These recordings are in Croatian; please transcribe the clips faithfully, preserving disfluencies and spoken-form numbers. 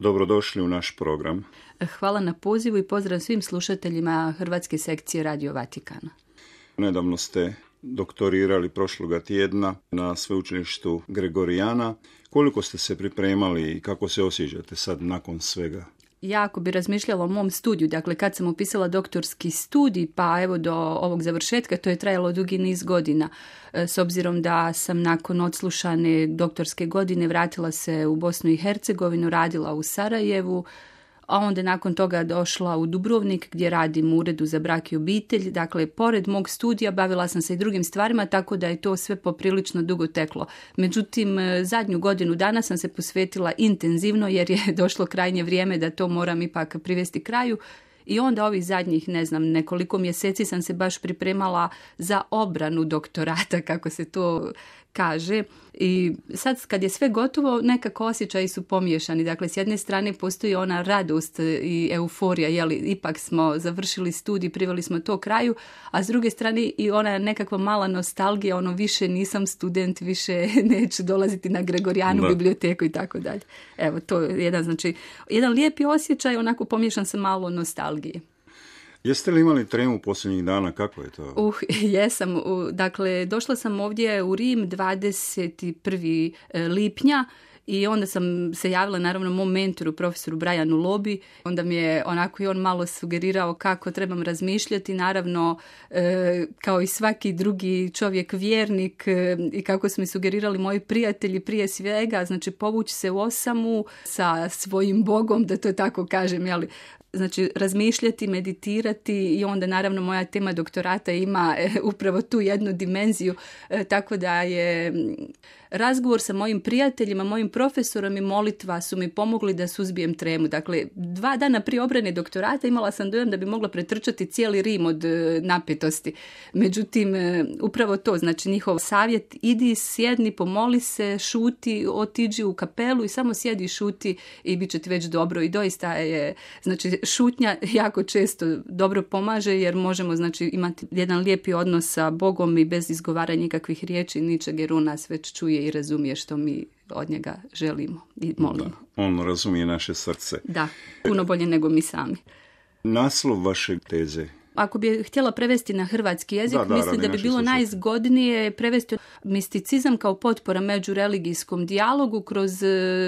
Dobrodošli u naš program. Hvala na pozivu i pozdrav svim slušateljima Hrvatske sekcije Radio Vatikana. Nedavno ste doktorirali prošloga tjedna na sveučilištu Gregorijana. Koliko ste se pripremali i kako se osjećate sad nakon svega? Ja ako bi razmišljala o mom studiju, dakle kad sam upisala doktorski studij, pa evo do ovog završetka, to je trajalo dugi niz godina. S obzirom da sam nakon odslušane doktorske godine vratila se u Bosnu i Hercegovinu, radila u Sarajevu, a onda nakon toga došla u Dubrovnik gdje radim u Uredu za brak i obitelj. Dakle, pored mog studija bavila sam se i drugim stvarima, tako da je to sve poprilično dugo teklo. Međutim, zadnju godinu dana sam se posvetila intenzivno jer je došlo krajnje vrijeme da to moram ipak privesti kraju. I onda ovih zadnjih, ne znam, nekoliko mjeseci sam se baš pripremala za obranu doktorata, kako se to kaže. I sad kad je sve gotovo, nekako osjećaji su pomiješani. Dakle, s jedne strane postoji ona radost i euforija, jeli, ipak smo završili studij, priveli smo to kraju, a s druge strane i ona nekakva mala nostalgija, ono više nisam student, više neću dolaziti na Gregorijanu biblioteku i tako dalje. Evo, to je jedan, znači, jedan lijepi osjećaj, onako pomiješan sa malo nostalgije. Jeste li imali tremu posljednjih dana? Kako je to? Uh, jesam. Dakle, došla sam ovdje u Rim dvadeset prvog lipnja i onda sam se javila naravno mom mentoru, profesoru Brianu Lobi. Onda mi je onako i on malo sugerirao kako trebam razmišljati. Naravno, e, kao i svaki drugi čovjek vjernik e, i kako su mi sugerirali moji prijatelji prije svega, znači povući se u osamu sa svojim Bogom, da to tako kažem, jeli, znači razmišljati, meditirati i onda naravno moja tema doktorata ima e, upravo tu jednu dimenziju, e, tako da je razgovor sa mojim prijateljima, mojim profesorom i molitva su mi pomogli da suzbijem tremu. Dakle, dva dana prije obrane doktorata imala sam dojam da bi mogla pretrčati cijeli Rim od e, napetosti. Međutim, e, upravo to, znači njihov savjet, idi, sjedni, pomoli se, šuti, otiđi u kapelu i samo sjedi i šuti i bit će ti već dobro. I doista je, znači, šutnja jako često dobro pomaže jer možemo, znači, imati jedan lijepi odnos sa Bogom i bez izgovaranja nikakvih riječi, ničeg, jer on nas već čuje i razumije što mi od njega želimo i molimo. Da, on razumije naše srce. Da, puno bolje nego mi sami. Naslov vaše teze? Ako bi htjela prevesti na hrvatski jezik, da, da, mislim da bi bilo najzgodnije prevesti misticizam kao potpora međureligijskom dijalogu kroz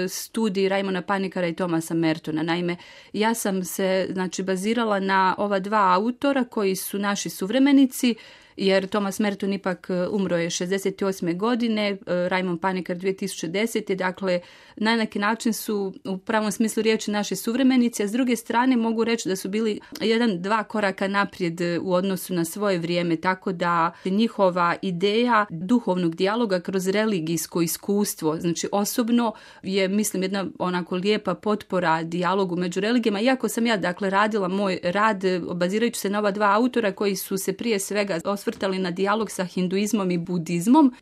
studij Raimona Panikara i Thomasa Mertona. Naime, ja sam se, znači, bazirala na ova dva autora koji su naši suvremenici, jer Thomas Merton ipak umro je šezdeset osme godine, Raimon Panikar dvije tisuće desete. Dakle, na neki način su u pravom smislu riječi naši suvremenici, a s druge strane mogu reći da su bili jedan, dva koraka naprijed u odnosu na svoje vrijeme, tako da njihova ideja duhovnog dijaloga kroz religijsko iskustvo, znači osobno je, mislim, jedna onako lijepa potpora dijalogu među religijama, iako sam ja, dakle, radila moj rad bazirajući se na ova dva autora koji su se prije svega osvrtali na dijalog sa hinduizmom i budizmom.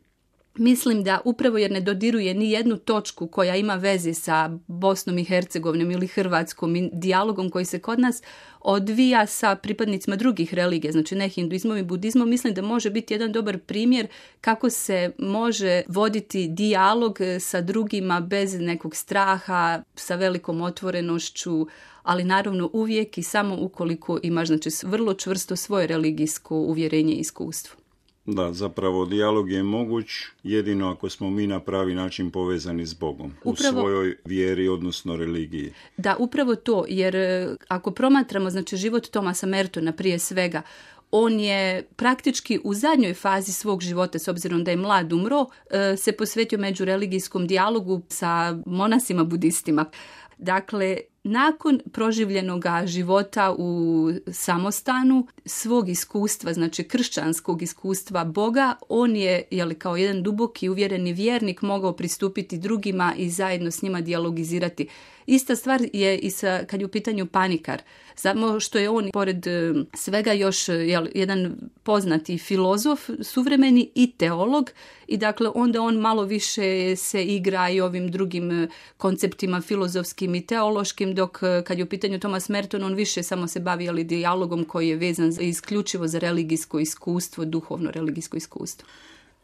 Mislim da upravo jer ne dodiruje ni jednu točku koja ima veze sa Bosnom i Hercegovinom ili Hrvatskom i dijalogom koji se kod nas odvija sa pripadnicima drugih religija, znači ne hinduizmom i budizmom, mislim da može biti jedan dobar primjer kako se može voditi dijalog sa drugima bez nekog straha, sa velikom otvorenošću, ali naravno uvijek i samo ukoliko imaš, znači, vrlo čvrsto svoje religijsko uvjerenje i iskustvo. Da, zapravo dijalog je moguć jedino ako smo mi na pravi način povezani s Bogom, upravo, u svojoj vjeri, odnosno religiji. Da, upravo to, jer ako promatramo, znači, život Thomasa Mertona prije svega, on je praktički u zadnjoj fazi svog života, s obzirom da je mlad umro, se posvetio međureligijskom dijalogu sa monasima budistima. Dakle, nakon proživljenog života u samostanu, svog iskustva, znači kršćanskog iskustva Boga, on je, jeli, kao jedan duboki uvjereni vjernik mogao pristupiti drugima i zajedno s njima dijalogizirati. Ista stvar je i sa, kad je u pitanju Panikar. Samo što je on, pored svega, još jel, jedan poznati filozof, suvremeni i teolog, i dakle onda on malo više se igra i ovim drugim konceptima filozofskim i teološkim, dok kad je u pitanju Thomas Merton, on više samo se bavi ali dijalogom koji je vezan za, isključivo za religijsko iskustvo, duhovno religijsko iskustvo.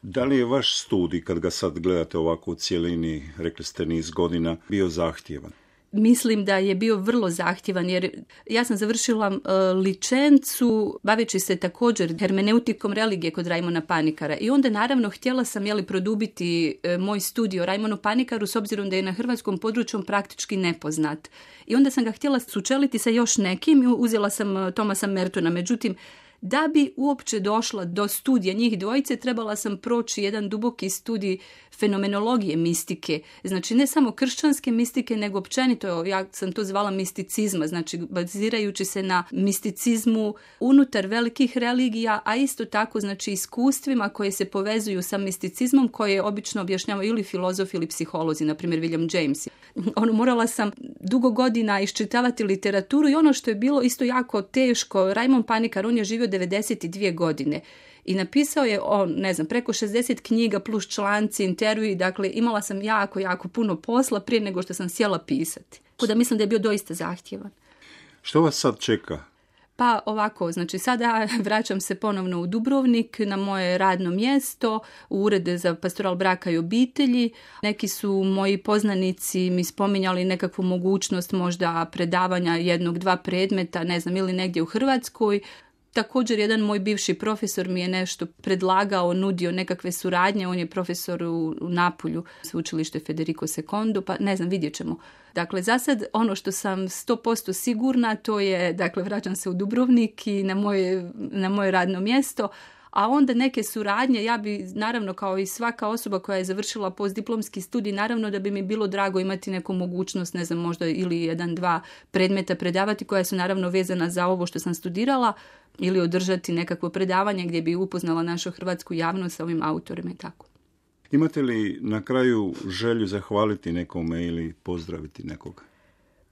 Da li je vaš studij, kad ga sad gledate ovako u cijelini, rekli ste niz godina, bio zahtjevan? mislim da je bio vrlo zahtjevan, jer ja sam završila uh, licencu baveći se također hermeneutikom religije kod Rajmona Panikara i onda naravno htjela sam jeli, produbiti uh, moj studij o Rajmonu Panikaru s obzirom da je na hrvatskom području praktički nepoznat. I onda sam ga htjela sučeliti sa još nekim i uzela sam uh, Thomasa Mertona, međutim da bi uopće došla do studija njih dvojice, trebala sam proći jedan duboki studij fenomenologije mistike. Znači ne samo kršćanske mistike, nego općenito, ja sam to zvala misticizma, znači bazirajući se na misticizmu unutar velikih religija, a isto tako znači iskustvima koje se povezuju sa misticizmom koje obično objašnjavaju ili filozofi ili psiholozi, na primjer William James. Ono, morala sam dugo godina iščitavati literaturu i ono što je bilo isto jako teško, Rajmon Panikar, on je živio devedeset dvije godine i napisao je on, ne znam, preko šezdeset knjiga plus članci, intervjui, dakle imala sam jako, jako puno posla prije nego što sam sjela pisati. Tako da mislim da je bio doista zahtjevan. Što vas sad čeka? Pa ovako, znači sada vraćam se ponovno u Dubrovnik na moje radno mjesto, u Urede za pastoral braka i obitelji. Neki su moji poznanici mi spominjali nekakvu mogućnost možda predavanja jednog, dva predmeta, ne znam, ili negdje u Hrvatskoj. Također jedan moj bivši profesor mi je nešto predlagao, nudio nekakve suradnje, on je profesor u, u Napulju, sveučilište Federico secondo, pa ne znam, vidjet ćemo. Dakle, za sad ono što sam sto posto sigurna, to je, dakle, vraćam se u Dubrovnik i na moje, na moje radno mjesto, a onda neke suradnje, ja bi naravno kao i svaka osoba koja je završila postdiplomski studij, naravno da bi mi bilo drago imati neku mogućnost, ne znam, možda ili jedan, dva predmeta predavati koja su naravno vezana za ovo što sam studirala ili održati nekakvo predavanje gdje bi upoznala našu hrvatsku javnost sa ovim autorima i tako. Imate li na kraju želju zahvaliti nekome ili pozdraviti nekoga?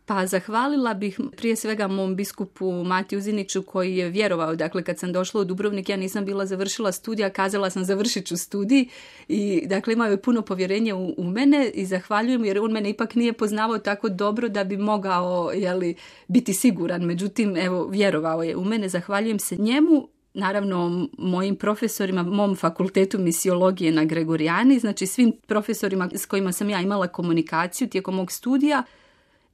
Pa zahvalila bih prije svega mom biskupu Mati Uziniću koji je vjerovao, dakle kad sam došla u Dubrovnik ja nisam bila završila studija, kazala sam završit ću studij i dakle imao je puno povjerenja u, u mene i zahvaljujem jer on mene ipak nije poznavao tako dobro da bi mogao jeli, biti siguran, međutim evo vjerovao je u mene, zahvaljujem se njemu. Naravno, mojim profesorima, mom fakultetu misiologije na Gregorijani, znači svim profesorima s kojima sam ja imala komunikaciju tijekom mog studija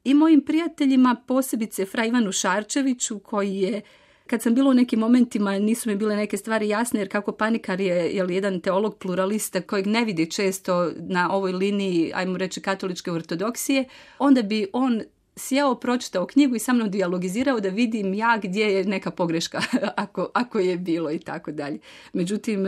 i mojim prijateljima, posebice fra Ivanu Šarčeviću koji je, kad sam bila u nekim momentima, nisu mi bile neke stvari jasne, jer kako Panikar je, je jedan teolog pluralista kojeg ne vidi često na ovoj liniji, ajmo reći, katoličke ortodoksije, onda bi on sjeo, pročitao knjigu i sa mnom dijalogizirao da vidim ja gdje je neka pogreška, ako, ako je bilo i tako dalje. Međutim,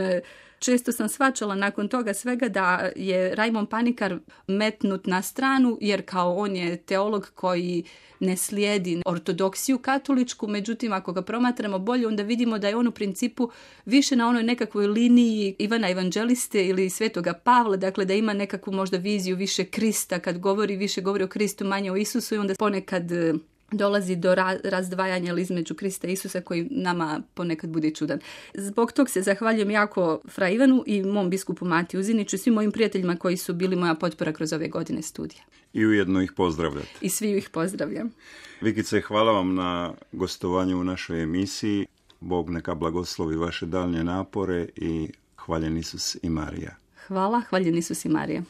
često sam shvaćala nakon toga svega da je Rajmon Panikar metnut na stranu, jer kao on je teolog koji ne slijedi ortodoksiju katoličku, međutim ako ga promatramo bolje, onda vidimo da je on u principu više na onoj nekakvoj liniji Ivana Evanđeliste ili Svetoga Pavla, dakle da ima nekakvu možda viziju više Krista, kad govori, više govori o Kristu, manje o Isusu i onda ponekad dolazi do ra- razdvajanja između Krista i Isusa koji nama ponekad bude čudan. Zbog tog se zahvaljujem jako fra Ivanu i mom biskupu Mati Uziniću i svim mojim prijateljima koji su bili moja potpora kroz ove godine studija. I ujedno ih pozdravljate. I svi ih pozdravljam. Vikice, hvala vam na gostovanju u našoj emisiji. Bog neka blagoslovi vaše daljnje napore i hvaljen Isus i Marija. Hvala, hvaljen Isus i Marija.